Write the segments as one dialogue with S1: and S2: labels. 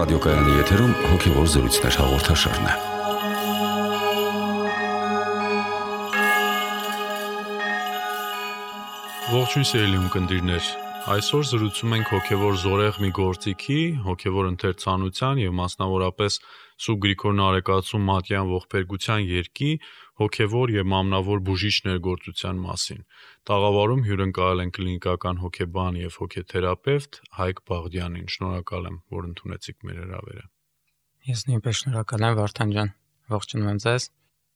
S1: Ռադիոկայանի եթերում հոգևոր զրույցներ հաղորդաշարն է։
S2: Ողջույն սիրելի ունկնդիրներ, այսօր զրուցում ենք հոգևոր զորեղ մի գործիքի, հոգևոր ընթերցանության եւ մասնավորապես Սուրբ Գրիգոր Նարեկացու Մատյան ողբերգության երգի հոգևոր եւ մամնավոր բուժիչ ներգործության մասին։ Տաղավարում հյուրընկալել են կլինիկական հոգեբան եւ հոգեթերապևտ Հայկ Բաղդյանին։ Շնորհակալ եմ, որ ընդունեցիք մեր հրավերը։
S3: Ես նույնպես շնորհակալ եմ, Վարդան ջան։ Ողջունում եմ ձեզ։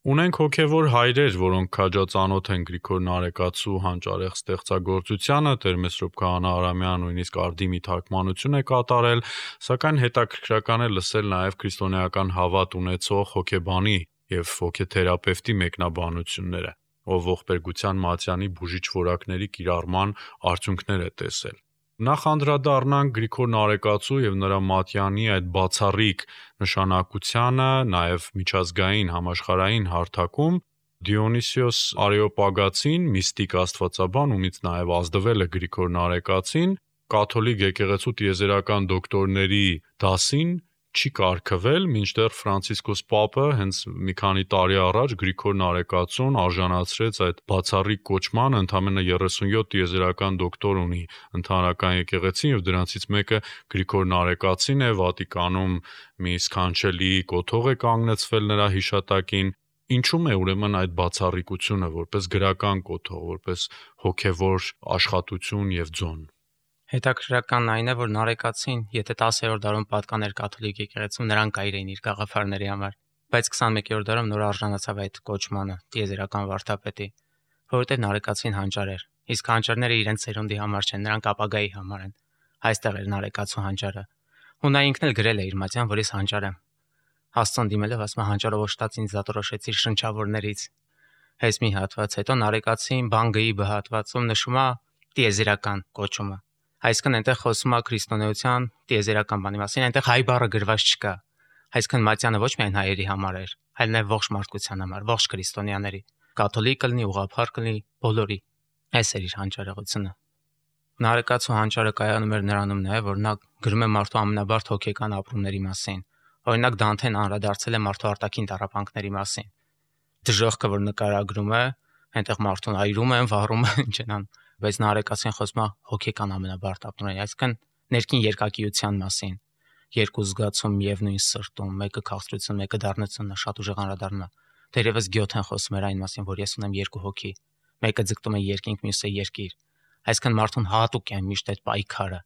S2: Ունենք հոգևոր հայրեր, որոնք քաջածանոթ են Գրիգոր Նարեկացու հանճարեղ ստեղծագործությանը, Տեր-Մեսրոպ Քահանա Արամյան նույնիսկ արդիմի թարգմանություն է կատարել, սակայն հետաքրքրական է լսել նաև քրիստոնեական հավատ ունեցող հոգեբանի եւ հոգեթերապևտի մեկնաբանությունները, ով ողբերգության Մատյանի բուժիչ որակների կիրառման արդյունքներ է տեսել։ Նախ անդրադառնանք Գրիգոր Նարեկացու եւ նրա Մատյանի այդ բացառիկ նշանակությանը, նաեւ միջազգային համաշխարհային հարթակում Դիոնիսիոս Արեոպագացին, միստիկ աստվածաբան, ումից նաեւ ազդվել է Գրիգոր Նարեկացին, կաթոլիկ եկեղեցու տիեզերական դոկտորների դասին չի կարգվել, մինչդեռ Ֆրանցիսկոս Պապը հենց մի քանի տարի առաջ Գրիգոր Նարեկացուն արժանացրեց այդ բացառիկ կոչմանը, ընդամենը 37 տիեզերական դոկտոր ունի ընդհանրական եկեղեցին եւ դրանցից մեկը Գրիգոր Նարեկացին է, Վատիկանում մի սքանչելի կոթող է կանգնեցվել նրա հիշատակին։ Ինչու՞մ է ուրեմն այդ բացառիկությունը որպես գրական կոթող, որպես հոգևոր աշխատություն եւ ձոն։
S3: Հետաքրքրական այն է, որ Նարեկացին, եթե 10-րդ դարում պատկաներ կաթոլիկ եկեղեցում, նրան կայր էին իր գաղափարների համար, բայց 21-րդ դարում նոր արժանացավ այդ կոչմանը տիեզերական վարդապետի, որովհետև Նարեկացին հանճար էր, իսկ հանճարները իրենց սերունդի համար չեն, նրանք ապագայի համար են։ Այստեղ էր Նարեկացու հանճարը։ Ու նա ինքն էլ գրել է իր Մատյան, որ ես հանճար եմ։ Աստծուն դիմելով ասում է հանճարով օժտած ինձ դատորոշեցիր շնչավորներից։ Հենց մի հատված հետո Նարեկացին Բանգեի բհատվածում նշում է տիեզերական կոչումը։ Այսինքն այնտեղ խոսում է քրիստոնեության տիեզերական բանի մասին, այնտեղ հայ բառը գրված չկա։ Այսինքն Մատյանը ոչ միայն հայերի համար էր, այլ նաև ողջ մարդկության համար, ողջ քրիստոնյաների, կաթոլիկ կլինի, ուղղափառ կլինի, բոլորի։ Այս էր իր հանճարեղությունը։ Նարեկացու հանճարը կայանում էր նրանում նաև, որ նա գրում է մարդու ամենաբարդ հոգեկան ապրումների մասին։ Օրինակ Դանթեն անդրադարձել է մարդու արտաքին տառապանքների մասին։ Դժոխքը, որ նկարագրում է, այնտեղ մարդուն այրում են, վառում են, ինչ են անում, բայց Նարեկացին խոսում է հոգեկան ամենաբարդ ապրումների, այսինքն ներքին երկակիության մասին։ Երկու զգացում միևնույն սրտում, մեկը քաղցրություն, մեկը դառնությունն է, շատ ուժեղ անդրադառնում է։ Դերևս Գյոթեն խոսում էր այն մասին, որ ես ունեմ երկու հոգի, մեկը ձգտում է երկինք, մյուսը երկիր։ Այսինքն մարդուն հատուկ է միշտ այդ պայքարը,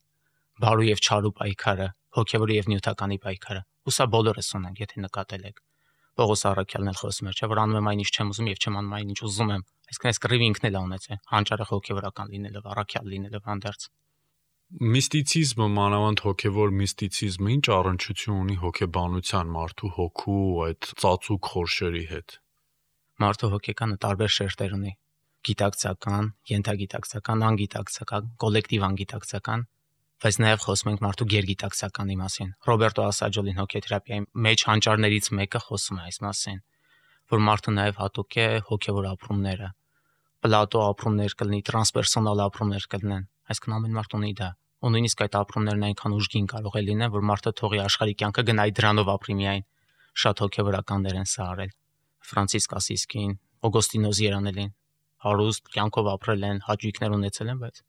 S3: բարու եւ չարու պայքարը, հոգեվորի եւ նյութականի պայքարը։ Ու սա բոլորս ունենք, եթե նկատել եք։ Պողոս առաքյալն էլ խոսում էր, չէ՞ որ անում եմ այն, ինչ չեմ ուզում եւ չեմ անում այն, ինչ ուզում եմ։ Այսինքն այս կռիվը ինքն էլ ունեցել, հանճարեղ հոգեվորական լինելով, առաքյալ լինելով հանդերձ։
S2: Միստիցիզմը, մանավանդ հոգևոր միստիցիզմը ինչ առնչություն ունի հոգեբանության, մարդու հոգու այդ ծածուկ խորշերի հետ։
S3: Մարդու հոգեկանը տարբեր շերտեր ունի՝ գիտակցական, ենթագիտակցական, անգիտակցական, կոլեկտիվ անգիտակցական, բայց նաև խոսում ենք մարդու գերգիտակցականի մասին։ Ռոբերտո Ասաջոլին հոգեթերապիայի մեջ հանճարներից մեկը խոսում է այս մասին, որ մարդը նաև հատուկ է հոգևոր ապրումները։ Պլատո ապրումներ կլինի, տրանսպերսոնալ ապրումներ կլինեն, այսինքն ամեն մարդ ունի դա։ Ու նույնիսկ այդ ապրումներն այնքան ուժգին կարող է լինեն, որ մարդը թողի աշխարհի կյանքը գնայի դրանով ապրի միայն։ Շատ հոգևորականներ են սա արել։ Ֆրանցիսկ Ասիսկին, Օգոստինոս Երանելին հարուստ կյանքով ապրել են, հաճույքներ ունեցել են, բայց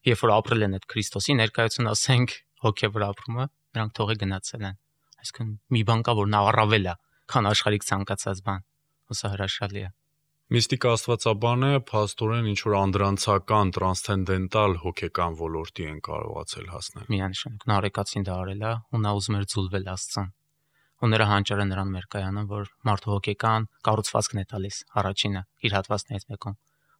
S3: երբ որ ապրել են այդ Քրիստոսի ներկայություն, ասենք, հոգևոր ապրումը, նրանք թողի գնացել են։ Այսինքն մի բան կա, որ նա առավել է, քան աշխարհիկ ցանկացած բան։ Ու սա հրաշալի է։
S2: Միստիկ աստվածաբանը փաստորեն ինչ որ անդրանցական, տրանսցենդենտալ հոգեկան ոլորտի են կարողացել հասնել։
S3: Միանշանակ Նարեկացին դա արել է, ու նա ուզում էր ձուլվել Աստծուն։ Ու նրա հանճարը նրան էր կայանում, որ մարդու հոգեկան կառուցվածքն է տալիս, առաջինը իր հատվածներից մեկում։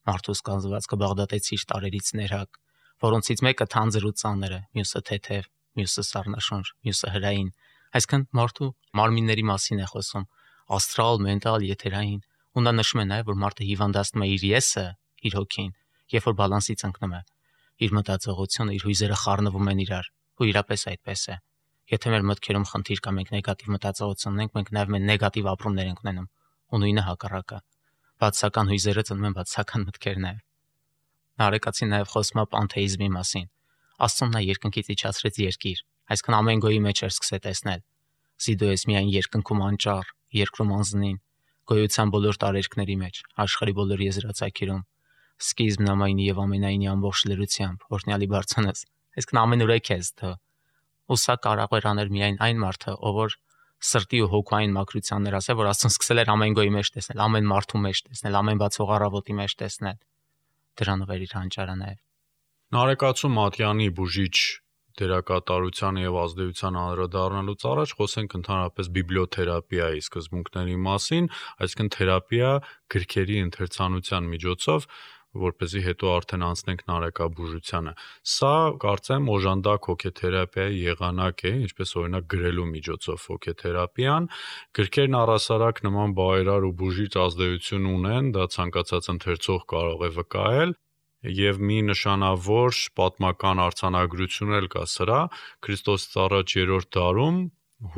S3: Մարդու զգացվածքը բաղդատեցի տարերից ներհակ, որոնցից մեկը թանձր ու ծանր է, մյուսը թեթև, մյուսը սառնաշունչ, մյուսը հրային։ Այսինքն մարդու մարմինների մասին է խոսում, աստրալ, մենտալ, եթերային։ Ու նա նշում է նաև, որ մարդը հիվանդացնում է իր եսը, իր հոգին, երբ որ բալանսից ընկնում է։ Իր մտածողությունը, իր հույզերը խառնվում են իրար, ու իրապես այդպես է։ Եթե մեր մտքերում խնդիր կա, մենք նեգատիվ մտածողություն ունենք, մենք նաև մեր նեգատիվ ապրումներ ենք ունենում, ու նույնը հակառակը։ Բացասական հույզերը ծնում են բացասական մտքեր նաև։ Նարեկացին նաև խոսում է պանթեիզմի մասին։ Աստծուն նա երկնքից իջացրեց երկիր, Այսինքն ամեն գոյի մեջ էր սկսել տեսնել. «Սի դու ես միայն երկնքում անճառ, երկրում անզնին, գոյության բոլոր տարերկների մեջ, աշխարհի բոլոր եզրածագերում, սկիզբն ամայնի եւ ամենայնի ամբողջ լրությամբ, օրհնյալի բարձանաս»։ Այսինքն ամենուրեք ես դու։ Ու սա կարող էր անել միայն այն մարդը, ով որ սրտի ու հոգային մաքրությաններ ասել, որ Աստծուն սկսել էր ամեն գոյի մեջ տեսնել, ամեն մարդու մեջ տեսնել, ամեն բացող առավոտի մեջ տեսնել։ Դրանով էր իր հանճարը նաև։
S2: Նարեկացու Մատյանի բուժիչ դերակատարության եւ ազդեցության անդրադառնալուց առաջ խոսենք ընդհանրապես բիբլիոթերապիայի սկզբունքների մասին, այսինքն թերապիա գրքերի ընթերցանության միջոցով, որպեսզի հետո արդեն անցնենք նարեկաբուժությանը։ Սա կարծեմ օժանդակ հոգեթերապիայի եղանակ է, ինչպես օրինակ գրելու միջոցով հոգեթերապիան։ Գրքերն առասարակ նման բարերար ու բուժիչ ազդեցություն ունեն, դա ցանկացած ընթերցող կարող է վկայել։ Եվ մի նշանավոր պատմական արձանագրություն էլ կա սրա, Քրիստոսից առաջ 3-րդ դարում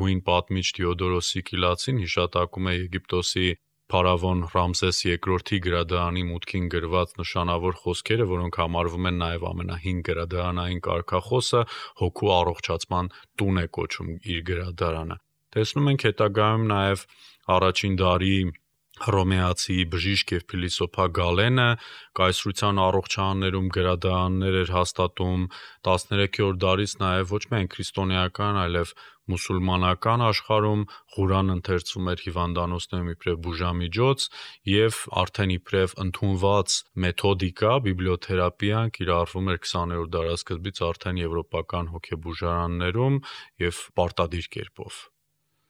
S2: հույն պատմիչ Թեոդորոս Սիկիլացին հիշատակում է Եգիպտոսի փարավոն Ռամսես II-ի գրադարանի մուտքին գրված նշանավոր խոսքերը, որոնք համարվում են նաև ամենահին գրադարանային կարգախոսը, հոգու առողջացման տուն է կոչում իր գրադարանը։ Տեսնում ենք հետագայում նաև առաջին դարի հռոմեացի բժիշկ եւ փիլիսոփա Գալենը կայսրության առողջարաններում գրադարաններ էր հաստատում, 13-րդ դարից նաև ոչ միայն քրիստոնեական, այլև մուսուլմանական աշխարհում Ղուրան ընթերցվում էր հիվանդանոցներում իբրև բուժամիջոց եւ արդեն իբրև ընդունված մեթոդիկա բիբլիոթերապիան կիրառվում էր 20-րդ դարաշրջանից արդեն եվրոպական հոգեբուժարաններում եւ պարտադիր կերպով։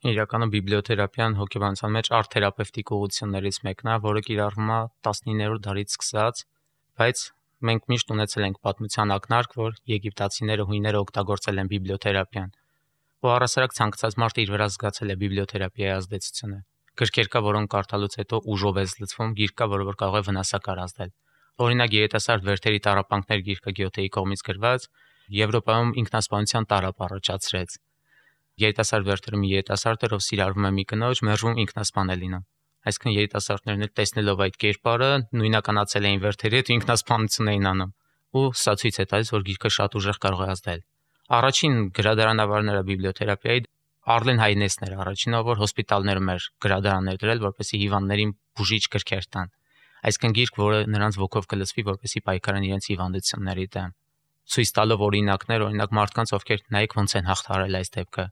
S3: Իրականում բիբլիոթերապիան հոգեբանության մեջ արտ-թերապևտիկ ուղղություններից մեկն է, որը կիրառվում է 19-րդ դարից սկսած, բայց մենք միշտ ունեցել ենք պատմության ակնարկ, որ եգիպտացիները, հույները օգտագործել են բիբլիոթերապիան։ Ու առասարակ ցանկացած մարդ իր վրա զգացել է բիբլիոթերապիայի ազդեցությունը։ Գրքեր կա, որոնք կարդալուց հետո ուժով է լցվում, գիրք կա, որը կարող է վնասակար ազդել։ Օրինակ երիտասարդ Վերթերի տառապանքներ գիրքը Գյոթեի կողմից գրված Եվրոպայում ինքնասպանության տարապ առաջացրեց։ Երիտասարդ Վերթերը մի երիտասարդ էր, ով սիրառվում է մի կնոջ, մերժում ինքնասպան է լինում։ Այսինքն երիտասարդներն էլ տեսնելով այդ կերպարը նույնականացել էին Վերթերի հետ ու ինքնասպանություն էին անում։ Ու սա ցույց է տալիս, որ գիրքը շատ ուժեղ կարող է ազդել։ Առաջին գրադարանավարները բիբլիոթերապիայի Արլեն Հայնեսն էր առաջինը, որ հոսպիտալներում էր գրադարաններ դրել, որպեսզի հիվանդներին բուժիչ գրքեր տան։ Այսինքն գիրք, որը նրանց ոգով կլսվի, որպեսզի պայքարեն իրենց հիվանդությունների դեմ։ Ցույց տալով օրինակներ, օրինակ մարդկանց, ովքեր նայեք ոնց են հաղթարել այս դեպքը։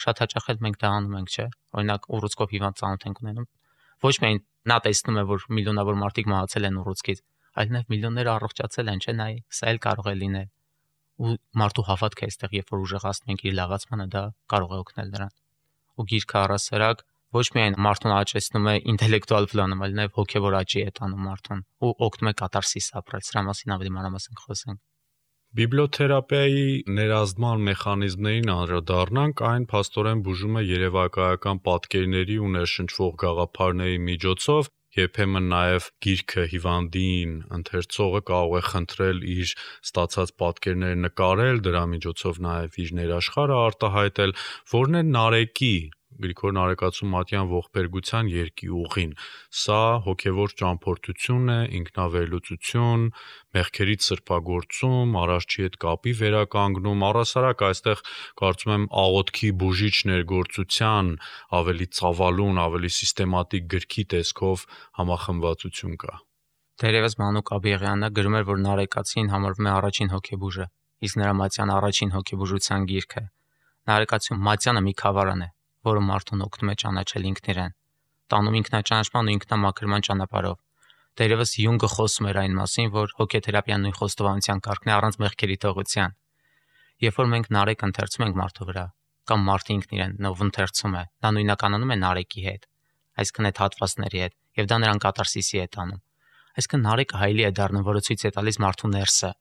S3: Շատ հաճախ էլ մենք դա անում ենք, չէ՞։ Օրինակ ուռուցքով հիվանդ ծանոթ ենք ունենում։ Ոչ միայն նա տեսնում է, որ միլիոնավոր մարդիկ մահացել են ուռուցքից, այլ նաև միլիոններ առողջացել են, չէ՞, նայ, սա էլ կարող է լինել։ Ու մարդու հավատքը այստեղ, երբ որ ուժեղացնում ենք իր լավացմանը, դա կարող է օգնել նրան։ Ու գիրքը առասարակ ոչ միայն մարդուն աճեցնում է ինտելեկտուալ պլանում, այլ նաև հոգևոր աճի է տանում մարդուն ու օգնում է կատարսիս ապրել։ Սրա մասին ավելի մանրամասն խոսենք։
S2: Բիբլիոթերապիայի ներազդման մեխանիզմներին անդրադառնանք, այն փաստորեն բուժում է երևակայական պատկերների ու ներշնչվող գաղափարների միջոցով, երբեմն նաև գիրքը հիվանդին ընթերցողը կարող է խնդրել իր ստացած պատկերները նկարել, դրա միջոցով նաև իր ներաշխարհը արտահայտել, որն է Նարեկի Գրիգոր Նարեկացու Մատյան ողբերգության երկի ուղին։ Սա հոգևոր ճամփորդություն է, ինքնավերլուծություն, մեղքերից սրբագործում, Արարչի հետ կապի վերականգնում, առասարակ այստեղ կարծում եմ աղոթքի բուժիչ ներգործության ավելի ծավալուն, ավելի սիստեմատիկ գրքի տեսքով համախմբվածություն կա։
S3: Դերևս Մանուկ Աբիեղյանը գրում էր, որ Նարեկացին համարվում է առաջին հոգեբուժը, իսկ նրա Մատյան առաջին հոգեբուժության գիրքը։ Նարեկացու Մատյանը մի խավարան է, որը մարդուն օգնում է ճանաչել ինքն իրեն, տանում ինքնաճանաչման ու ինքնամաքրման ճանապարհով։ Դերևս Յունգը խոսում էր այն մասին, որ հոգեթերապիան նույն խոստովանության կարգն է առանց մեղքերի թողության։ Երբ որ մենք Նարեկ ընթերցում ենք մարդու վրա, կամ մարդը ինքն իրեն նով ընթերցում է, դա նույնականանում է Նարեկի հետ, այսինքն այդ հատվածների հետ, եւ դա նրան կատարսիսի է տանում։ Այսինքն Նարեկը հայելի է դառնում, որը ցույց է տալիս մարդու ներսը։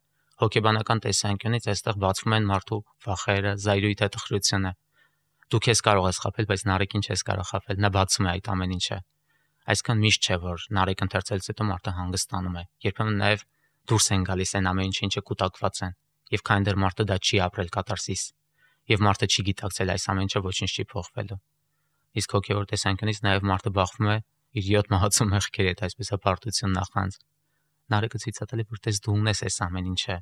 S3: Հոգեբանական տեսանկյունից այստեղ բացվում են մարդու վախերը, զայրույթը, տխրությունը։ Դու քեզ կարող ես խաբել, բայց Նարեկին չես կարող խաբել, նա բացում է այդ ամեն ինչը։ Այսքան միշտ չէ, որ Նարեկ ընթերցելուց հետո մարդը հանգստանում է։ Երբեմն նաև դուրս են գալիս այն ամեն ինչը կուտակված են, եւ քանի դեռ մարդը դա չի ապրել կատարսիս, եւ մարդը չի գիտակցել այս ամեն ինչը ոչինչ չի փոխվելու։ Իսկ հոգեոր տեսանկյունից նաև մարդը բախվում է իր 7 մահացու մեղքերի հետ, այսպես է բարդություն նախանց։ Նարեկը ցույց է տալի, որ տես դու ունես այս ամեն ինչը։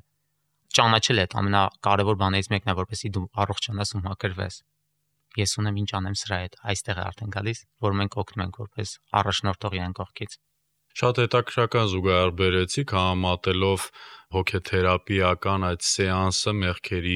S3: ճանաչել այդ ամենակարևոր բաներից մեկն է, որպեսզի դու առողջանաս ու մաքրվես։ Ես ունեմ ինչ անեմ սրա հետ, այստեղ է արդեն գալիս, որ մենք օգնում ենք որպես առաջնորդող իրեն կողքից։
S2: Շատ հետաքրքրական զուգահեռ բերեցիք համատելով հոգեթերապիական այդ սեանսը մեղքերի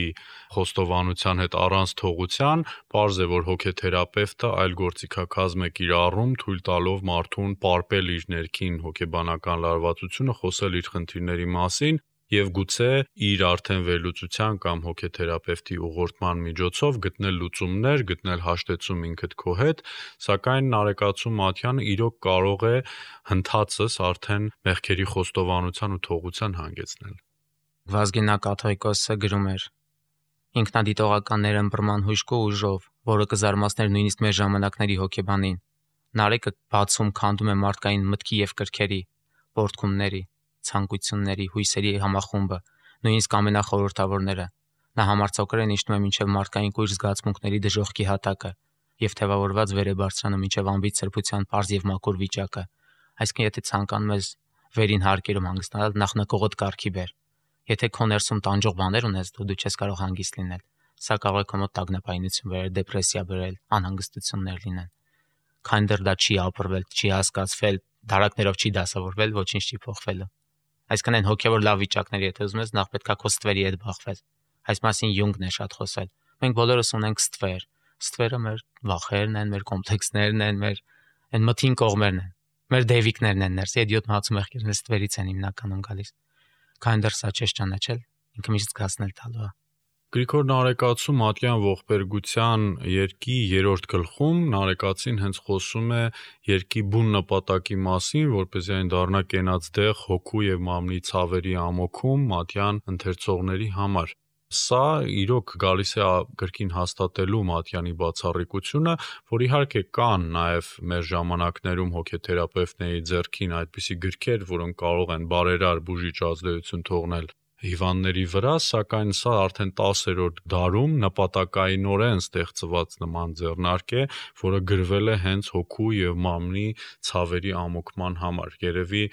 S2: խոստովանության հետ առանց թողության, պարզ է, որ հոգեթերապևտը այլ գործիքակազմ է կիրառում, թույլ տալով մարդուն պարպել իր ներքին հոգեբանական լարվածությունը, խոսել իր խնդիրների մասին եւ գուցե իր արդեն վերլուծության կամ հոգեթերապևտի ուղղորդման միջոցով գտնել լուծումներ, գտնել հաշտեցում ինքդ քո հետ, սակայն Նարեկացու Մատյանը իրոք կարող է հնդածս արդեն մեղքերի խոստովանության ու թողության հանգեցնել։
S3: Վազգենա կաթողիկոսը գրում էր. ինքնադիտողականներ ըմբռնման հուժկու ուժով, որը կզարմացներ նույնիսկ մեր ժամանակների հոգեբանին։ Նարեկը բացում քանդում է մարդկային մտքի եւ կրքերի, պորտքումների, ցանկությունների, հույսերի համախումբը, նույնիսկ ամենախորհրդավորները։ Նա համարձակորեն իջնում է մինչև մարդկային կույր զգացմունքների դժոխքի հատակը եւ թեւավորված վեր է բարձրանում մինչև ամբից սրբության պարզ եւ մաքուր վիճակը։ Այսինքն, եթե ցանկանում ես վերին հարկերում հանգստանալ, նախ նկողդ կարգի բեր։ Եթե քո ներսում տանջող բաներ ունես, դու չես կարող հանգիստ լինել։ Սա կարող է քո մոտ տագնապայնություն բերել, դեպրեսիա բերել, անհանգստություններ լինեն։ Քանի դեռ դա չի ապրվել, չի հասկացվել, դարակներով չի դասավորվել, ոչինչ չի փոխվելու։ Այսինքն այն հոգևոր լավ վիճակների եթե ուզում ես, նախ պետք է քո ստվերի հետ բախվես։ Այս մասին Յունգն է շատ խոսել։ Մենք բոլորս ունենք ստվեր։ Ստվերը մեր վախերն են, մեր կոմպլեքսներն են, մեր այն մթին կողմերն են։ Մեր դեվիկներն են ներսի, այդ 7 հացու մեղքերն ստվերից են հիմնականում գալիս։ Քանի դեռ սա չես ճանաչել, ինքը միշտ զգացնել տալու է։
S2: Գրիգոր Նարեկացու Մատյան ողբերգության երկի 3-րդ գլխում Նարեկացին հենց խոսում է երկի բուն նպատակի մասին, որպեսզի այն դառնա կենաց դեղ հոգու եւ մամլի ցավերի ամոքում Մատյան ընթերցողների համար։ Սա իրոք գալիս է կրկին հաստատելու Մատյանի բացառիկությունը, որ իհարկե կան նաև մեր ժամանակներում հոգեթերապևտների ձեռքին այդպիսի գրքեր, որոնք կարող են բարերար բուժիչ ազդեցություն թողնել հիվանդների վրա, սակայն սա արդեն 10-րդ դարում նպատակայինորեն ստեղծված նման ձեռնարկ է, որը գրվել է հենց հոգու եւ մամլի ցավերի ամոքման համար։ Երևի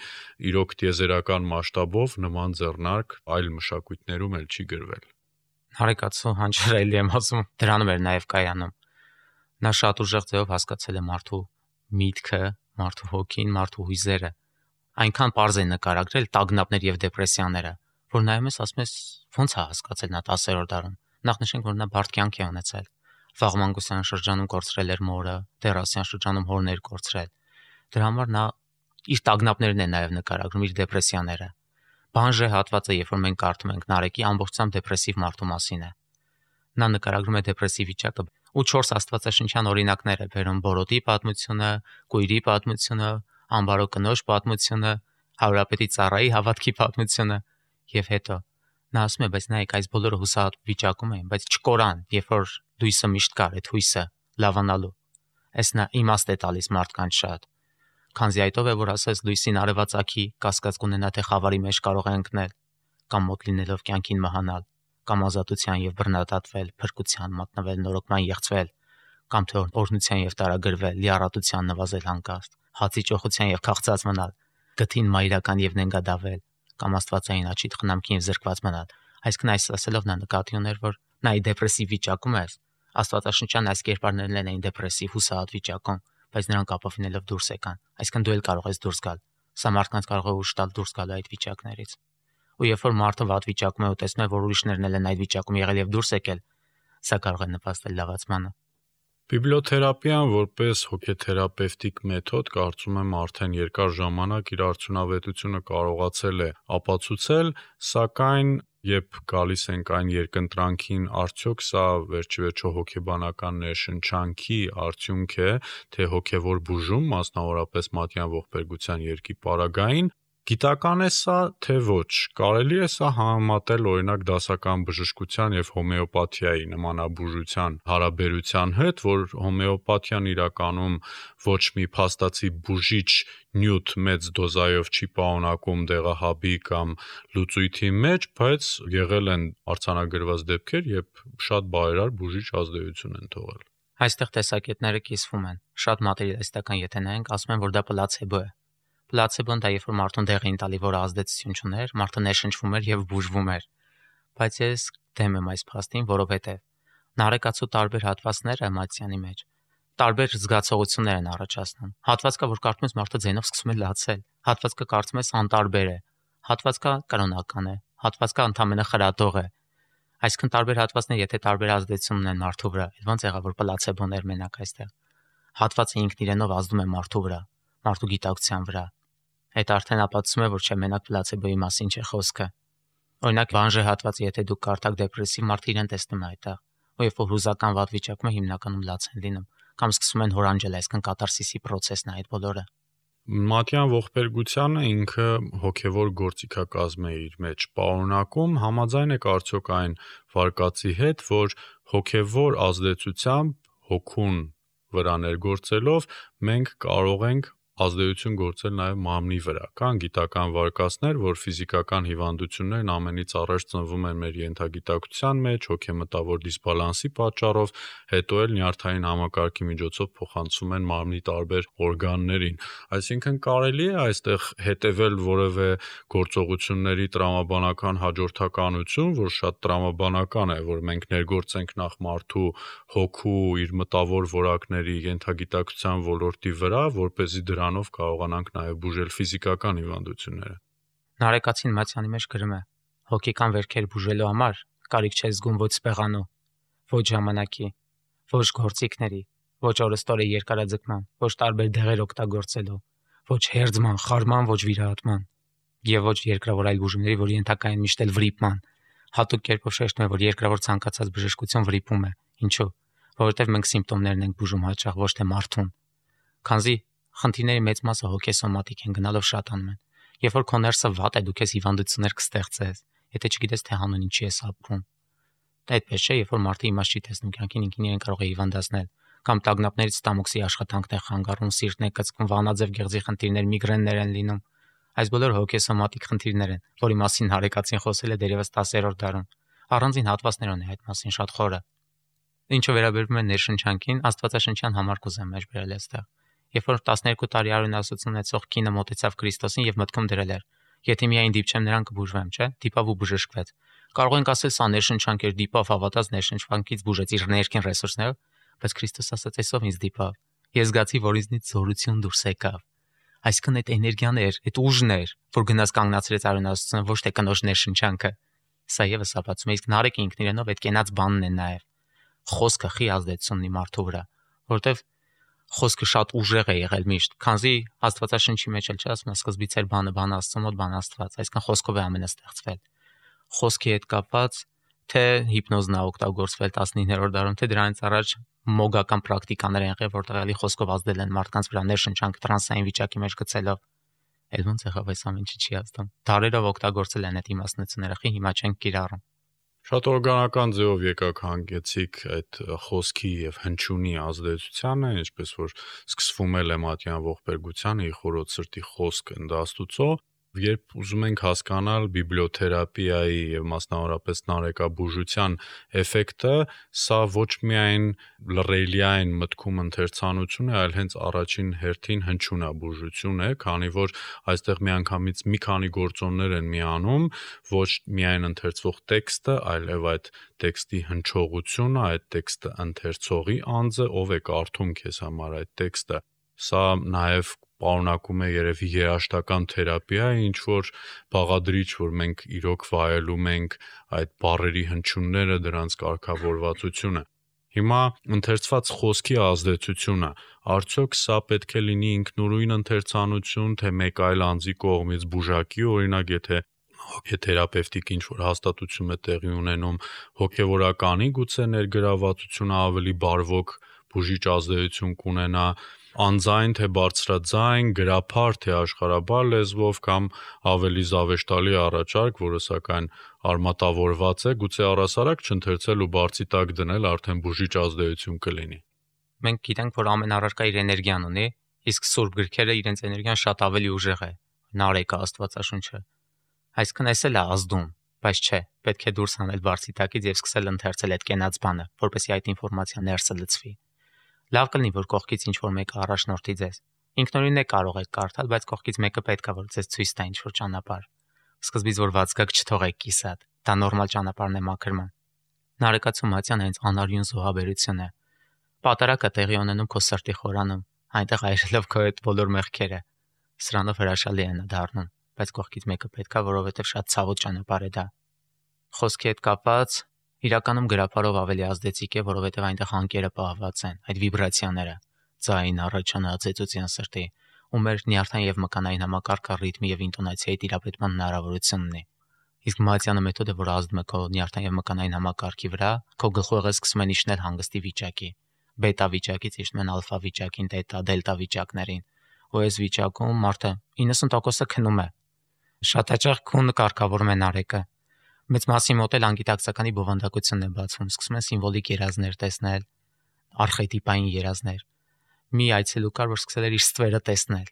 S2: իրոք տիեզերական մասշտաբով նման ձեռնարկ այլ մշակույթներում էլ չի գրվել։
S3: Նարեկացու հանճարելի եմ ասում, դրանում էր նաև կայանում։ Նա շատ ուժեղ ձևով հասկացել է մարդու միտքը, մարդու հոգին, մարդու հույզերը։ Այնքան པարզ է նկարագրել տագնապներ եւ դեպրեսիաները, որ նայում ես ասում ես ո՞նց է հասկացել նա 10-րդ դարում։ Նախ նշենք, որ նա բարդ կյանք է ունեցել։ Վաղմանկության շրջանում կորցրել էր մորը, դեռասյան շրջանում հորն էր կորցրել։ Դրա համար նա իր տագնապներն է նաև նկարագրում, իր դեպրեսիաները։ Բանժե հատվածը, երբ որ մենք կարդում ենք Նարեկի ամբողջությամբ դեպրեսիվ մարդու մասին է։ Նա նկարագրում է դեպրեսիվ վիճակը ու 4 աստվածաշնչյան օրինակներ է բերում՝ Բորոտի պատմությունը, Կույրի պատմությունը, Ամբարո կնոջ պատմությունը, Հարուրապետի ծառայի հավատքի պատմությունը եւ հետո նա ասում է, բայց նայեք, այս բոլորը հուսահատ վիճակում են, բայց չկորան, երբ որ դույսը միշտ կար, այդ հույսը լավանալու։ Այս նա իմաստ է տալիս մարդկանց շատ։ Քանզի այդով է, որ ասես լույսին արևածագի կասկած կունենա, թե խավարի մեջ կարող է ընկնել, կամ մոտ լինելով կյանքին մահանալ, կամ ազատության եւ բռնադատվել, փրկության մատնվել, նորոգման եղծվել, կամ թե օրհնության եւ տարագրվել, լիառատության նվազել հանկարծ, հացի ճոխության եւ քաղցած մնալ, գթին մայրական եւ նենգադավել, կամ աստվածային աչիթ խնամքին եւ զրկված մնալ։ Այսինքն այս ասելով նա նկատի ուներ, որ նա դեպրեսիվ վիճակում է, աստվածաշնչյան այս կերպարներն են դեպրեսիվ հուսահատ վիճակում, բայց նրանք ապավինելով դուրս եկան։ Այսինքն դու էլ կարող ես դուրս գալ։ Սա մարդկանց կարող է ուժ տալ դուրս գալ այդ վիճակներից։ Ու երբ որ մարդը վատ վիճակում է ու տեսնում է, որ ուրիշներն էլ են այդ վիճակում եղել եւ դուրս եկել, սա կարող է նպաստել լավացմանը։
S2: Բիբլիոթերապիան որպես հոգեթերապևտիկ մեթոդ կարծում եմ արդեն երկար ժամանակ իր արդյունավետությունը կարողացել է ապացուցել, սակայն երբ գալիս ենք այն երկընտրանքին, արդյոք սա վերջիվերջո հոգեբանական ներշնչանքի արդյունք է, թե հոգևոր բուժում, մասնավորապես Մատյան ողբերգության երկի պարագային, գիտական է սա, թե ոչ։ Կարելի է սա համեմատել օրինակ դասական բժշկության եւ հոմեոպաթիայի նմանաբուժության հարաբերության հետ, որ հոմեոպաթիան իրականում ոչ մի փաստացի բուժիչ նյութ մեծ դոզայով չի պարունակում դեղահաբի կամ լուծույթի մեջ, բայց եղել են արձանագրված դեպքեր, երբ շատ բարերար բուժիչ ազդեցություն են թողել։
S3: Այստեղ տեսակետները կիսվում են։ Շատ մատերիալիստական եթե նայենք, ասում են, որ դա պլացեբո է։ Պլացեբոն դա երբ որ մարդուն դեղ էին տալի, որը ազդեցություն չուներ, մարդը ներշնչվում էր եւ բուժվում էր։ բայց ես դեմ եմ այս փաստին, որովհետև նարեկացու տարբեր հատվածները էմոցիանի մեջ տարբեր զգացողություններ են առաջացնում։ Հատված կա, որ կարծում ես մարդը ձենով սկսում է լացել, հատված կա կարծում ես անտարբեր է, հատված կա կրոնական է, հատված կա ընդամենը խրատող է։ Այսինքն տարբեր հատվածներ, եթե տարբեր ազդեցություն ունեն մարդու վրա, ոնց եղավ որ պլացեբոներ մենակ այստեղ։ Հատվածը ինքն իրենով ազդում է մարդու վրա, մարդու գիտակցության վրա։ Այդ արդեն ապացուցում է, որ չէ մենակ պլացեբոյի մասին չէ խոսքը։ Օրինակ վանժե հատվածը, եթե դուք կարդաք դեպրեսիվ մարդը իրեն տեսնում է այդտեղ, ու երբ որ հուզական վատ վիճակում է հիմնականում լաց են լինում, կամ սկսում են հորանջել, այսինքն կատարսիսի process-ն է այդ բոլորը։
S2: Մատյան ողբերգությանը ինքը հոգևոր գործիքակազմ է իր մեջ պարունակում, համաձայն եք արդյոք այն վարկածի հետ, որ հոգևոր ազդեցությամբ հոգուն վրա ներգործելով մենք կարող ենք ազդեցություն գործել նաև մարմնի վրա։ Կան գիտական վարկածներ, որ ֆիզիկական հիվանդություններն ամենից առաջ ծնվում են մեր ենթագիտակցության մեջ, հոգեմտավոր դիսբալանսի պատճառով, հետո էլ նյարդային համակարգի միջոցով փոխանցվում են մարմնի տարբեր օրգաններին։ Այսինքն կարելի է այստեղ հետևել որևէ գործողությունների տրամաբանական հաջորդականություն, որ շատ տրամաբանական է, որ մենք ներգործենք նախ մարդու հոգու իր մտավոր որակների ենթագիտակցության ոլորտի վրա, որպեսզի դրանով կարողանանք նաև բուժել ֆիզիկական հիվանդությունները։
S3: Նարեկացին Մացյանի մեջ գրում է. հոգեկան վերքեր բուժելու համար կարիք չէ զգում ոչ սպեղանու, ոչ ժամանակի, ոչ գործիքների, ոչ օրստորի երկարաձգման, ոչ տարբեր դեղեր օգտագործելու, ոչ հերձման, խարման, ոչ վիրահատման եւ ոչ երկրավոր այլ բուժումների, որ ենթակա են միշտ էլ վրիպման։ Հատուկ կերպով շեշտում է, որ երկրավոր ցանկացած բժշկություն վրիպում է։ Ինչու՞։ Որովհետև մենք սիմպտոմներն ենք բուժում հաճախ, ոչ թե մարդուն։ Քանզի խնդիրների մեծ մասը հոգեսոմատիկ են, գնալով շատանում են։ Երբ որ քո ներսը վատ է, դու քեզ հիվանդություններ կստեղծես, եթե չգիտես թե հանուն ինչի ես ապրում։ Դա այդպես չէ, երբ որ մարդը իմաստ չի տեսնում կյանքին, ինքին իրեն կարող է հիվանդացնել, կամ տագնապներից ստամոքսի աշխատանքն է խանգարում, սիրտն է կծկում, վանաձև գեղձի խնդիրներ, միգրեններ են լինում։ Այս բոլորը հոգեսոմատիկ խնդիրներ են, որի մասին Հարեկացին խոսել է դերևս 10-րդ դարում։ Առանձին հատվածներ ունի այդ մասին շատ խորը։ Ինչը վերաբերում է ներշնչանքին, Աստվածաշնչյան համար կուզեմ մեջ բերել այստեղ։ Երբ որ 12 տարի արյունասություն ունեցող կինը մոտեցավ Քրիստոսին եւ մտքում դրել էր. եթե միայն դիպչեմ նրան կբուժվեմ, չէ՞, դիպավ ու բժշկվեց։ Կարող ենք ասել սա ներշնչանք էր, դիպավ, հավատաց, ներշնչանքից բուժեց իր ներքին ռեսուրսներով, բայց Քրիստոս ասաց այսով ինձ դիպավ։ Ես զգացի, որ ինձնից զորություն դուրս եկավ։ Այսինքն այդ էներգիան էր, այդ ուժն էր, որ գնաց կանգնացրեց արյունասությունը, ոչ թե կնոջ ներշնչանքը։ Սա եւս ապացուցում է, իսկ Նարեկը ինքն իրենով այդ կենաց բանն է նաեւ։ Խոսքը խի ազդեցություն ունի մարդու վրա, որովհետեւ խոսքը շատ ուժեղ է եղել միշտ, քանզի Աստվածաշնչի մեջ էլ չի ասում, սկզբից էր բանը Աստծո մոտ, բան Աստված, այսինքն խոսքով է ամենը ստեղծվել։ Խոսքի հետ կապված թե հիպնոզն է օգտագործվել 19-րդ դարում, թե դրանից առաջ մոգական պրակտիկաներ են եղել, որտեղ էլի խոսքով ազդել են մարդկանց վրա ներշնչանք տրանսային վիճակի մեջ գցելով։ Էլ ոնց եղավ այս ամեն ինչը չի ազդում։ Դարերով օգտագործել են այդ իմաստնությունները, խի հիմա չեն կիրառում։
S2: Շատ օրգանական ձևով եկաք հանգեցիք այդ խոսքի եւ հնչյունի ազդեցությանը, ինչպես որ սկսվում է Մատյան ողբերգությանը ի խորոց սրտի խոսք ընդաստուծո, երբ ուզում ենք հասկանալ բիբլիոթերապիայի եւ մասնավորապես նարեկաբուժության էֆեկտը, սա ոչ միայն լռելիային մտքում ընթերցանություն է, այլ հենց առաջին հերթին հնչյունաբուժություն է, քանի որ այստեղ միանգամից մի քանի գործոններ են միանում, ոչ միայն ընթերցվող տեքստը, այլև այդ տեքստի հնչողությունը, այդ տեքստը ընթերցողի անձը, ով է կարդում քեզ համար այդ տեքստը։ Սա նաև պարունակում է երևի երաշտական թերապիա, ինչ որ բաղադրիչ, որ մենք իրոք վայելում ենք այդ բառերի հնչյունները, դրանց կարգավորվածությունը։ Հիմա ընթերցված խոսքի ազդեցությունը, արդյոք սա պետք է լինի ինքնուրույն ընթերցանություն, թե մեկ այլ անձի կողմից բուժակի, օրինակ եթե հոգեթերապևտիկ ինչ-որ հաստատություն է տեղի ունենում, հոգևորականի գուցե ներգրավվածությունը ավելի բարվոք բուժիչ ազդեցություն կունենա, անձայն թե բարձրաձայն, գրափար թե աշխարհաբար լեզվով կամ ավելի զավեշտալի առաջարկ, որը սակայն արմատավորված է, գուցե առասարակ չընթերցել ու բարձի տակ դնել արդեն բուժիչ ազդեցություն կլինի։
S3: Մենք գիտենք, որ ամեն առարկա իր էներգիան ունի, իսկ սուրբ գրքերը իրենց էներգիան շատ ավելի ուժեղ է։ Նարեկը, Աստվածաշունչը։ Այսինքն այս էլ է ազդում, բայց չէ, պետք է դուրս հանել բարձի տակից եւ սկսել ընթերցել այդ կենաց բանը, որպեսզի այդ ինֆորմացիան ներսը լցվի։ Լավ կլինի, որ կողքից ինչ-որ մեկը առաջնորդի ձեզ։ Ինքնուրույն է կարող եք կարդալ, բայց կողքից մեկը պետք է որ ձեզ ցույց տա ինչ-որ ճանապարհ։ Սկզբից որ վազգակ չթողեք կիսատ, Դա նորմալ ճանապարհն է մաքրման։ Նարեկացու մատյան հենց անարյուն զոհաբերություն է։ Պատարակը տեղի ունենում քո սրտի խորանում, այնտեղ այրելով քո այդ բոլոր մեղքերը։ Սրանով հրաշալի է նա դառնում, բայց կողքից մեկը պետքա, որովհետև շատ ցավոտ ճանապարհ է դա։ Խոսքի հետ կապած, իրականում գրապարով ավելի ազդեցիկ է, որովհետև այնտեղ հանկերը պահված են, այդ վիբրացիաները, ձայն, առաջանա, ծեծության սրտի, ու մեր նյարդային եւ մկանային համակարգը ռիթմի եւ ինտոնացիայի տիրապետման հնարավորություն ունի։ Իսկ մատյանը մեթոդը, որ ազդում է քո նյարդային եւ մկանային համակարգի վրա, քո գլխուեղը սկսում են իջնել հանգստի վիճակի, բետա վիճակից իջնում են ալֆա վիճակին, թետա, դելտա վիճակներին, ու այս վիճակում մարդը 90%-ը քնում է։ Շատ հաճախ քունը կարգավորում է նարեկը։ Մեծ մասի մոտ էլ անգիտակցականի բովանդակությունն է բացվում, սկսում են սիմվոլիկ երազներ տեսնել, արխետիպային երազներ։ Մի այցելու կար, որ սկսել էր իր ստվերը տեսնել։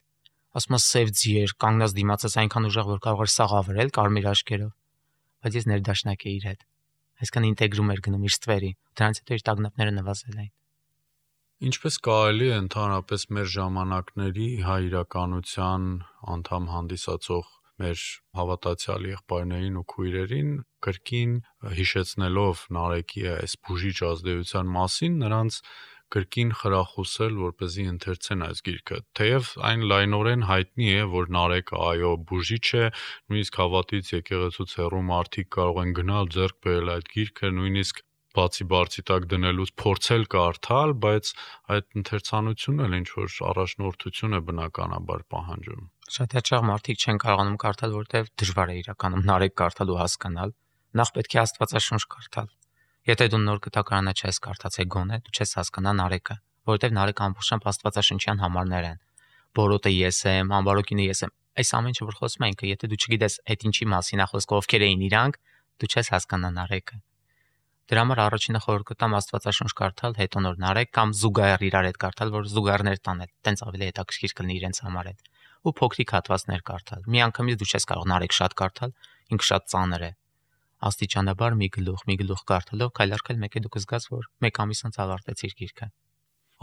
S3: Ասում է սև ձիեր, կանգնած դիմացած այնքան ուժեղ, որ կարող էր սաղ ավերել կարմիր աչքերով։ Բայց ես ներդաշնակ էի իր հետ։ Այսքան ինտեգրում էր գնում իր ստվերի, դրանից հետո իր տագնապները նվազել էին։
S2: Ինչպես կարելի է ընդհանրապես մեր ժամանակների հայ իրականության անդամ հանդիսացող մեր հավատացյալ եղբայրներին ու քույրերին կրկին հիշեցնելով Նարեկի այս բուժիչ ազդեցության մասին նրանց կրկին խրախուսել, որպեսզի ընթերցեն այս գիրքը։ Թեև այն լայնորեն հայտնի է, որ Նարեկը այո բուժիչ է, նույնիսկ հավատից եկեղեցուց հեռու մարդիկ կարող են գնալ ձեռք բերել այդ գիրքը, նույնիսկ բացի բարձի տակ դնելուց փորձել կարդալ, բայց այդ ընթերցանությունն էլ ինչ որ առաջնորդություն է բնականաբար պահանջում։
S3: Շատ հաճախ մարդիկ չեն կարողանում կարդալ, որովհետև դժվար է իրականում Նարեկ կարդալ ու հասկանալ։ Նախ պետք է Աստվածաշունչ կարդալ։ Եթե դու նոր կտակարանը չես կարդացել գոնե, դու չես հասկանա Նարեկը, որովհետև Նարեկը ամբողջությամբ աստվածաշնչյան համարներ են։ Բորոտը ես եմ, ամբարոկինը ես եմ։ Այս ամեն ինչը որ խոսում ենք, եթե դու չգիտես այդ ինչի մասին է խոսքը, ովքեր էին իրանք, դու չես հասկանա Նարեկը։ Դրա համար առաջինը խորհուրդ կտամ Աստվածաշունչ կարդալ, հետո նոր Նարեկ կամ զուգահեռ իրար հետ կարդալ, որ զուգահեռներ տանել, տենց ավելի հետաքրքիր կլինի իրենց համար այդ։ Ու փոքրիկ հատվածներ կարդալ։ Մի անգամից դու չես կարող Նարեկ շատ կարդալ, ինքը շատ ծանր է։ Աստիճանաբար մի գլուխ կարդալով քայլարկել մեկ է դու կզգաս, որ մեկ ամիս անց ավարտեցիր գիրքը։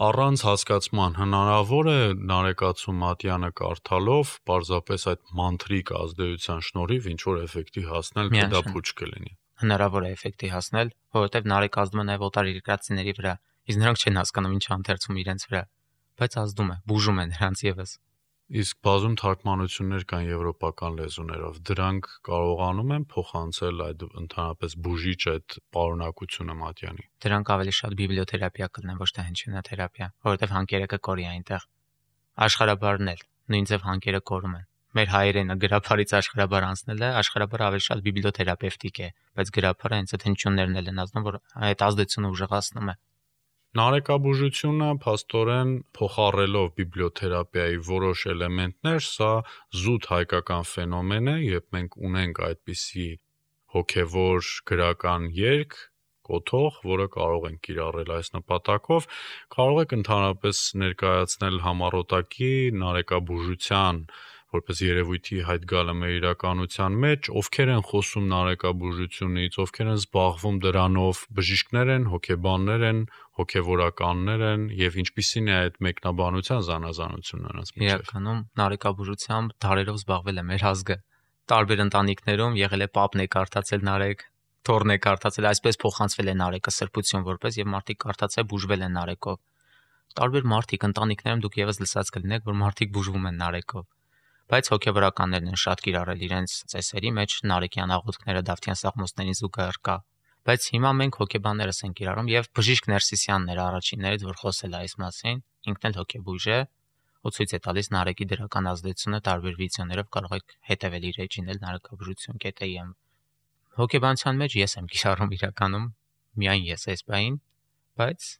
S2: Առանց հասկացման հնարավոր է Նարեկացու Մատյանը կարդալով պարզապես այդ մանտրիկ ազդեցության շնորհիվ ինչ որ էֆեկտի հասնել, թե դա փուչ կլինի։
S3: Հնարավոր է էֆեկտի հասնել, որովհետև Նարեկը ազդում է նաև օտար երկրացիների վրա, իսկ նրանք չեն հասկանում ինչ անթերցում իրենց վրա, բայց ազդում է, բուժում է նրանց եւս։
S2: Իսկ բազում թարգմանություններ կան եվրոպական լեզուներով, դրանք կարողանում են փոխանցել այդ ընդհանրապես բուժիչ այդ պարունակությունը Մատյանի։
S3: Դրանք ավելի շատ բիբլիոթերապիա կլինեն, ոչ թե հնչյունաթերապիա, որովհետև հանկերը կկորի այնտեղ։ Աշխարհաբարն էլ նույն ձև հանկերը կորում են։ Մեր հայերենը գրափարից աշխարհաբար անցնելը աշխարհաբար ավելի շատ բիբլիոթերապևտիկ է, բայց գրափարը հենց այդ հնչյուններն են ազդում, որ այդ ազդեցությունը ուժեղացնում է։
S2: Նարեկաբուժությունը փաստորեն փոխառելով բիբլիոթերապիայի որոշ էլեմենտներ, սա զուտ հայկական ֆենոմեն է, երբ մենք ունենք այդպիսի հոգևոր գրական երգ, կոթող, որը կարող ենք կիրառել այս նպատակով, կարող եք ընդհանրապես ներկայացնել համառոտակի նարեկաբուժության որպես երևույթի հայտ գալը մեր իրականության մեջ, ովքեր են խոսում նարեկաբուժությունից, ովքեր են զբաղվում դրանով, բժիշկներ են, հոգեբաններ են, հոգևորականներ են եւ ինչպիսին է այդ մեկնաբանության զանազանությունը նրանց մեջ։
S3: Իրականում նարեկաբուժությամբ դարերով զբաղվել է մեր ազգը։ Տարբեր ընտանիքներում եղել է պապն է կարդացել Նարեկ, թորն է կարդացել, այսպես փոխանցվել է Նարեկը սրբություն որպես եւ մարդիկ կարդացել բուժվել են Նարեկով։ Տարբեր մարդիկ ընտանիքներում դուք եւս լսած կլինեք, որ մարդիկ բուժվում են Նարեկով։ Բայց հոգևորականներն են շատ կիրառել իրենց ծեսերի մեջ Նարեկյան աղոթքները Դավթյան Սաղմոսներին զուգահեռ կա։ Բայց հիմա մենք հոգեբաններս ենք կիրառում եւ բժիշկ Ներսիսյանն էր առաջիններից, որ խոսել է այս մասին, ինքն էլ հոգեբույժ է, ու ցույց է տալիս Նարեկի դրական ազդեցությունը տարբեր վիդեոներով կարող եք հետևել իր էջին էլ նարեկաբուժություն.am։ Հոգեբանության մեջ ես եմ կիրառում իրականում, միայն ես այս բային, բայց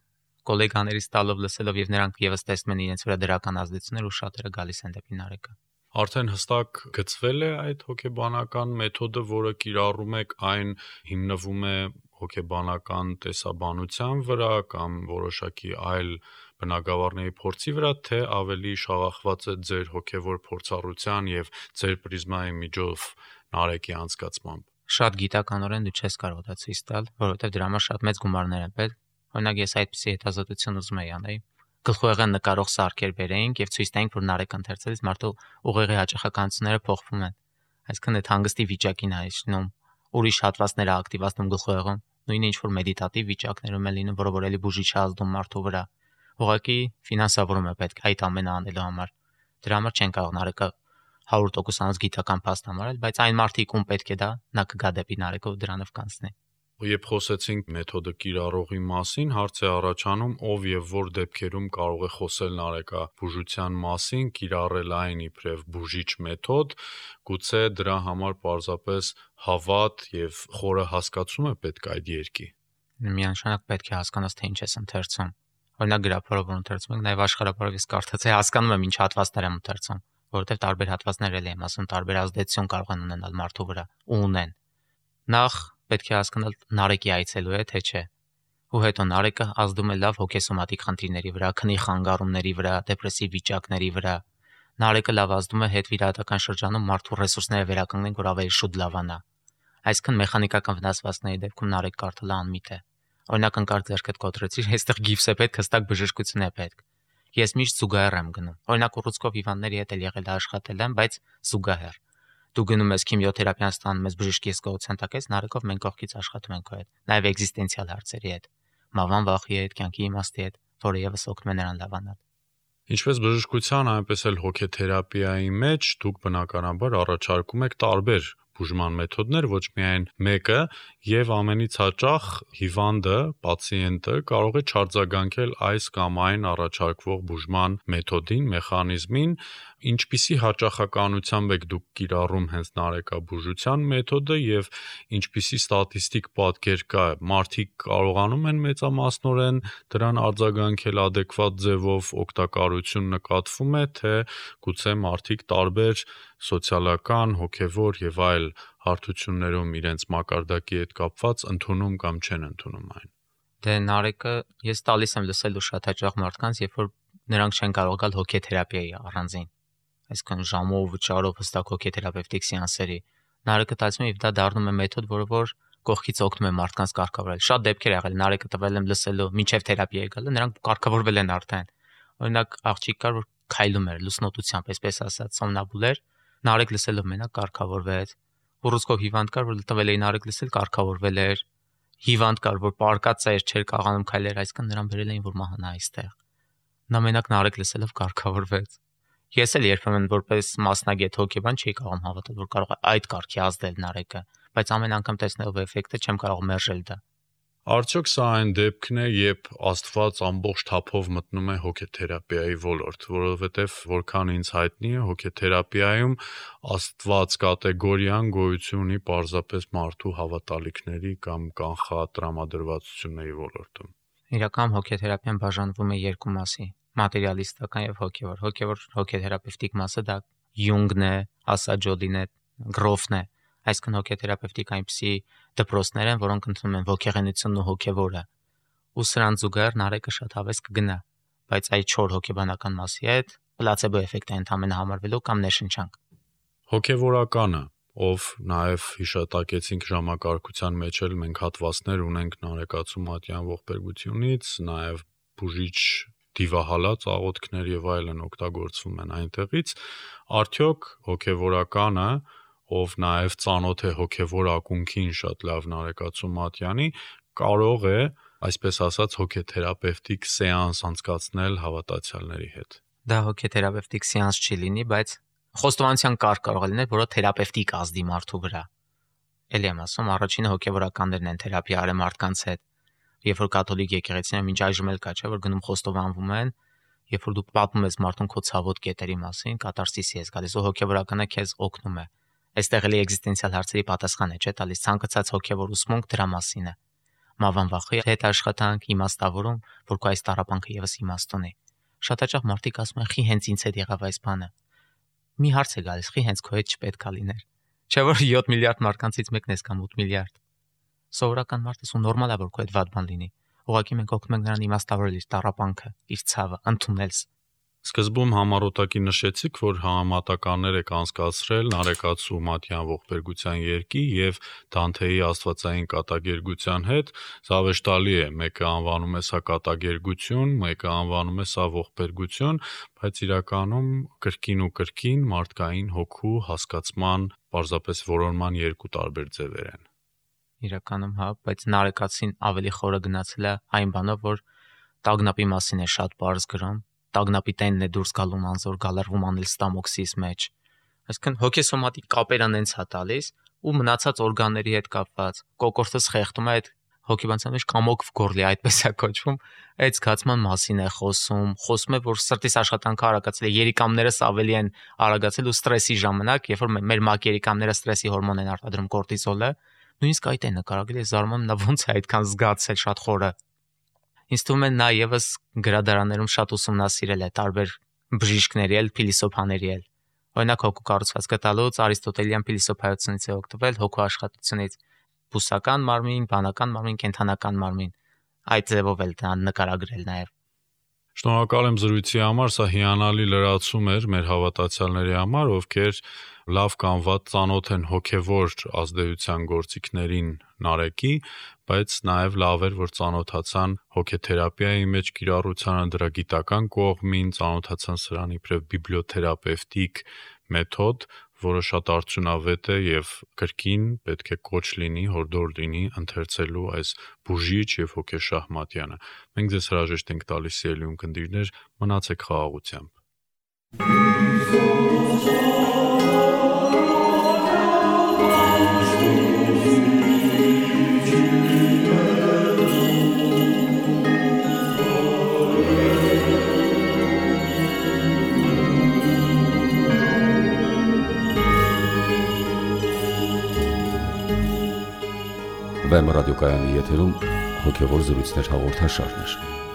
S3: գոլեգաներից տալով լսելով եւ նրանք եւս տեսնում են իրենց վրա դրական ազդեցություններ ու շատերը գալիս են դեպի Նարեկը։
S2: Արդեն հստակ գծվել է այդ հոգեբանական մեթոդը, որը կիրառում եք, այն հիմնվում է հոգեբանական տեսաբանության վրա կամ որոշակի այլ բնագավառների փորձի վրա, թե ավելի շաղախված է ձեր հոգևոր փորձառության եւ ձեր պրիզմայի միջով Նարեկի անցկացմամբ։
S3: Շատ գիտականորեն դու չես կարող դա ցույց տալ, որովհետև դրա համար շատ մեծ գումարներ են պետք։ Օրինակ ես այդպիսի հետազոտություն ուզում եի անել։ Գլխուեղեն նկարող սարքեր բերեինք եւ ցույց տայինք, որ Նարեկ ընթերցելիս մարդու ուղեղի հաճախականությունները փոխվում են։ Այսինքն այդ հանգստի վիճակին է իջնում, ուրիշ հատվածները ակտիվացնում գլխուեղում, նույնը ինչ որ մեդիտատիվ վիճակներում է լինում, որը որ էլի բուժիչ է ազդում մարդու վրա։ Ուղղակի ֆինանսավորում է պետք այդ ամենը անելու համար։ Դրա համար չեն կարող Նարեկը 100% գիտական փաստ համարել, բայց այն մարդիկ ում պետք է դա, նա կգա դեպի Նարեկով դրանով կանցնի։
S2: Երբ խոսեցինք մեթոդը կիրառողի մասին, հարց է առաջանում, ով եւ որ դեպքերում կարող է խոսել նարեկաբուժության մասին, կիրառել այն իբրև բուժիչ մեթոդ, գուցե դրա համար պարզապես հավատ եւ խորը հասկացում է պետք այդ երկի։
S3: Միանշանակ պետք է հասկանաս, թե ինչ ես ընթերցում։ Օրինակ գրափարով ընթերցում ենք, նաեւ աշխարհապարով ես կարդացի, հասկանում եմ ինչ հատվածներ եմ ընթերցում, որովհետեւ տարբեր հատվածներ էլ եմ ասում, տարբեր ազդեցություն կարող են ունենալ մարդու վրա ու ունեն։ Նախ պետք է հասկանալ Նարեկի այցելու է, թե չէ։ Ու հետո Նարեկը ազդում է լավ հոգեսոմատիկ խնդիրների վրա, քնի խանգարումների վրա, դեպրեսիվ վիճակների վրա։ Նարեկը լավ ազդում է հետվիրահատական շրջանում մարդու ռեսուրսները վերականգնեն, որ ավելի շուտ լավանա։ Այսինքն մեխանիկական վնասվածքների դեպքում Նարեկ կարդալը անմիտ է։ Օրինակ ընկած ձեռքդ կոտրեցիր, այստեղ գիֆս է պետք, հստակ բժշկություն է պետք։ Ես միշտ զուգահեռ եմ գնում։ Օրինակ ուռուցքով հիվանդների հետ էլ եղել է աշխատել եմ, բայց զուգահեռ։ Դու գնում ես քիմիոթերապիան ստանում ես բժշկի հսկողության տակ, Նարեկով մենք կողքից աշխատում ենք քո հետ, նաև էգզիստենցիալ հարցերի հետ, մավան վախի հետ, կյանքի իմաստի հետ, որը եւս օգնում է նրան լավանալ։
S2: Ինչպես բժշկության, այնպես էլ հոգեթերապիայի մեջ դուք բնականաբար առաջարկում եք տարբեր բուժման մեթոդներ, ոչ միայն մեկը, եւ ամենից հաճախ հիվանդը, պացիենտը կարող է չարձագանքել այս կամ այն առաջարկվող բուժման մեթոդին, մեխանիզմին, ինչպիսի հաճախականությամբ եք դուք կիրառում հենց նարեկաբուժության մեթոդը եւ ինչպիսի ստատիստիկ պատկեր կա, մարդիկ կարողանում են մեծամասնորեն դրան արձագանքել adekvat ձևով, օգտակարություն նկատվում է, թե գուցե մարդիկ տարբեր սոցիալական, հոգևոր եւ այլ հարթություններում իրենց մակարդակի հետ կապված ընդունում կամ չեն ընդունում այն։
S3: Դե Նարեկը ես տալիս եմ լսելու շատ հաճախ մարդկանց, երբ որ նրանք չեն կարող գալ հոգեթերապիայի առանձին, այսինքն ժամով, վճարով հստակ հոգեթերապևտիկ սեանսերի։ Նարեկը տալիս եմ եւ դա դառնում է մեթոդ, որը կողքից օգնում է մարդկանց կարգավորել։ Շատ դեպքեր եղել, Նարեկը տվել եմ լսելու, մինչև թերապիա գալը, նրանք կարգավորվել են արդեն։ Օրինակ աղջիկ կար, որ քայլում էր լուսնոտությամբ, այսպես ասած, սոմնաբուլ էր, Նարեկ լսելով մենակ կարգավորվեց։ Ուռուցքով հիվանդ կար, որ տվել էին Նարեկ լսել, կարգավորվել էր։ Հիվանդ կար, որ պարկած էր, չէր կարողանում քայլել, այսինքն նրան բերել էին, որ մահանա այստեղ։ Նա մենակ Նարեկ լսելով կարգավորվեց։ Ես էլ երբեմն որպես մասնագետ հոգեբան չի կարող հավատալ, որ կարող է այդ կարգի ազդել Նարեկը, բայց ամեն անգամ տեսնելով էֆեկտը չեմ կարող մերժել դա։
S2: Արդյոք սա այն դեպքն է, երբ Աստված ամբողջ թափով մտնում է հոգեթերապիայի ոլորտ, որովհետև որքան ինձ հայտնի է, հոգեթերապիայում Աստված կատեգորիան գոյություն ունի պարզապես մարդու հավատալիքների կամ կանխատրամադրվածությունների ոլորտում։
S3: Իրական հոգեթերապիան բաժանվում է երկու մասի՝ մատերիալիստական եւ հոգեվոր։ Հոգեվոր հոգեթերապևտիկ մասը դա Յունգն է, Ասաջոլին է, Գրոֆն է։ Այսինքն հոգեթերապևտիկ այնպիսի դպրոցներ են, որոնք ընդունում են ոգեղենությունն ու հոգևորը։ Ու սրան զուգահեռ Նարեկը շատ հավես կգնա, բայց այդ 4 հոգեբանական մասի հետ պլացեբո էֆեկտ է ընդհանրապես համարվելու կամ ներշնչանք։
S2: Հոգևորականը, ով նաև հիշատակեցինք ժամակարգության մեջ էլ մենք հատվածներ ունենք Նարեկացու Մատյան ողբերգությունից, նաև բուժիչ դիվահալած աղոթքներ եւ այլն օգտագործվում են այնտեղից, արդյոք հոգևորականը, ով նաև ծանոթ է հոգևոր ակունքին շատ լավ Նարեկացու Մատյանի, կարող է, այսպես ասած, հոգեթերապևտիկ սեանս անցկացնել հավատացյալների հետ։
S3: Դա հոգեթերապևտիկ սեանս չի լինի, բայց խոստովանության կարգ կարող է լինել, որը թերապևտիկ ազդի մարդու վրա։ Էլի եմ ասում, առաջինը հոգևորականներն են թերապիա արել մարդկանց հետ։ Երբ որ կաթոլիկ եկեղեցին մինչ այժմ էլ կա, չէ, որ գնում խոստովանվում են, երբ որ դու պատմում ես մարդուն քո ցավոտ կետերի մասին, կատարսիսի ես գալիս, ու հոգևորականը քեզ օգնում է։ Այստեղ էլի էգզիստենցիալ հարցերի պատասխան է, չէ, տալիս ցանկացած հոգևոր ուսմունք դրա մասին է։ Մավան վախի հետ աշխատանք, իմաստավորում, որ քո այս տառապանքը եւս իմաստ ունի։ Շատ հաճախ մարդիկ ասում են՝ «Խի հենց ինձ հետ եղավ այս բանը»։ Մի հարց է գալիս՝ «Խի հենց քո հետ չպետքա լիներ»։ Չէ՞ որ 7 միլիարդ մարդկանցից մեկն ես կամ 8 միլիարդ։ Սովորական մարդս ու նորմալ է, որ քո հետ վատ բան լինի։ Ուղղակի մենք օգնում ենք նրան իմաստավորել իր տառապանքը, իր ցավը, ընդունել։
S2: Սկզբում համառոտակի նշեցիք, որ համատականներ եք անցկացրել Նարեկացու Մատյան ողբերգության երկի եւ Դանթեի Աստվածային կատակերգության հետ, զավեշտալի է, մեկը անվանում է սա կատակերգություն, մեկը անվանում է սա ողբերգություն, բայց իրականում կրկին ու կրկին մարդկային հոգու հասկացման, պարզապես որոնման երկու տարբեր ձևեր են։
S3: իրականում, հա, բայց Նարեկացին ավելի խորը գնացել է այն բանով, որ տագնապի մասին է շատ բարձ գրում, տագնապի տենն է դուրս գալու անզոր գալարվում անել ստամոքսիս մեջ։ Այսինքն հոգեսոմատիկ կապերան հենց հա տալիս ու մնացած օրգանների հետ կապված կոկորտս խեղդում է այդ հոգեբանության մեջ կամոք գորլի այդպես է կոչվում, այդ զգացման մասին է խոսում է, որ սրտիս աշխատանքը արագացել է, երիկամներս ավելի են արագացել ու ստրեսի ժամանակ, երբ որ մեր մակ երիկամները ստրեսի հորմոն են արտադրում կորտիզոլը, նույնիսկ այդ է նկարագրել, զարմանում նա ոնց է այդքան զգացել շատ խորը։ Ինձ թվում է նա եւս գրադարաններում շատ ուսումնասիրել է տարբեր բժիշկների էլ, փիլիսոփաների էլ։ Օրինակ հոգու կառուցվածքը տալուց արիստոտելյան փիլիսոփայությունից է օգտվել, հոգու աշխատությունից բուսական մարմին, բանական մարմին, կենթանական մարմին։ Այդ ձևով էլ նա նկարագրել նաև։
S2: Շնորհակալ եմ զրույցի համար, սա հիանալի լրացում էր մեր հավատացյալների համար, ովքեր լավ կամ վատ ծանոթ են հոգևոր ազդեցության գործիքներին Նարեկի, բայց նաև լավ էր, որ ծանոթացան հոգեթերապիայի մեջ կիրառությանը, դրա գիտական կողմին, ծանոթացան սրան իբրև բիբլիոթերապևտիկ մեթոդ, որը շատ արդյունավետ է եւ կրկին պետք է կոչ լինի, հորդոր լինի ընթերցելու այս բուժիչ եւ հոգեշահմատյանը։ Մենք ձեզ հրաժեշտ ենք տալիս սիրելի ունկնդիրներ, մնացեք խաղաղությամբ։
S1: Վեմ ռադիոկայանի եթերում հոգևոր զրույցներ հաղորդաշարն է։